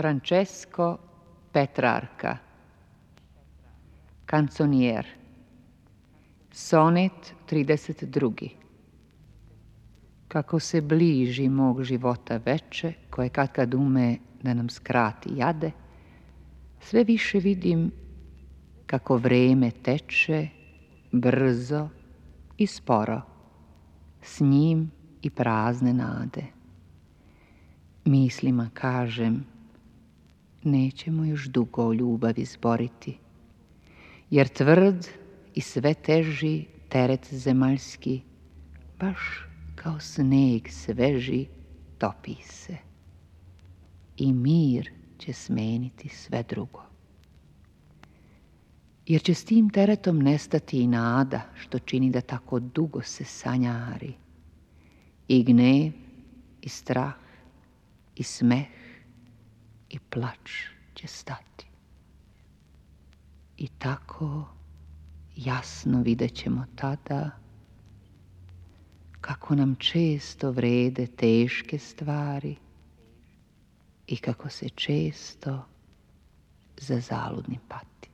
Francesco Petrarca. Kanconijer. Sonet 32. Kako se bliži mog života veče, koje kad ume da nam skrati jade, sve više vidim kako vreme teče brzo i sporo, s njim i prazne nade. Mislima kažem, nećemo još dugo o ljubavi zboriti, jer tvrd i sve teži teret zemaljski, baš kao sneg sveži, topi se. I mir će smeniti sve drugo. Jer će s tim teretom nestati i nada, što čini da tako dugo se sanjari. I gnev, i strah, i smeh, i plač će stati. I tako jasno vidjet ćemo tada kako nam često vrede teške stvari i kako se često za zaludni pati.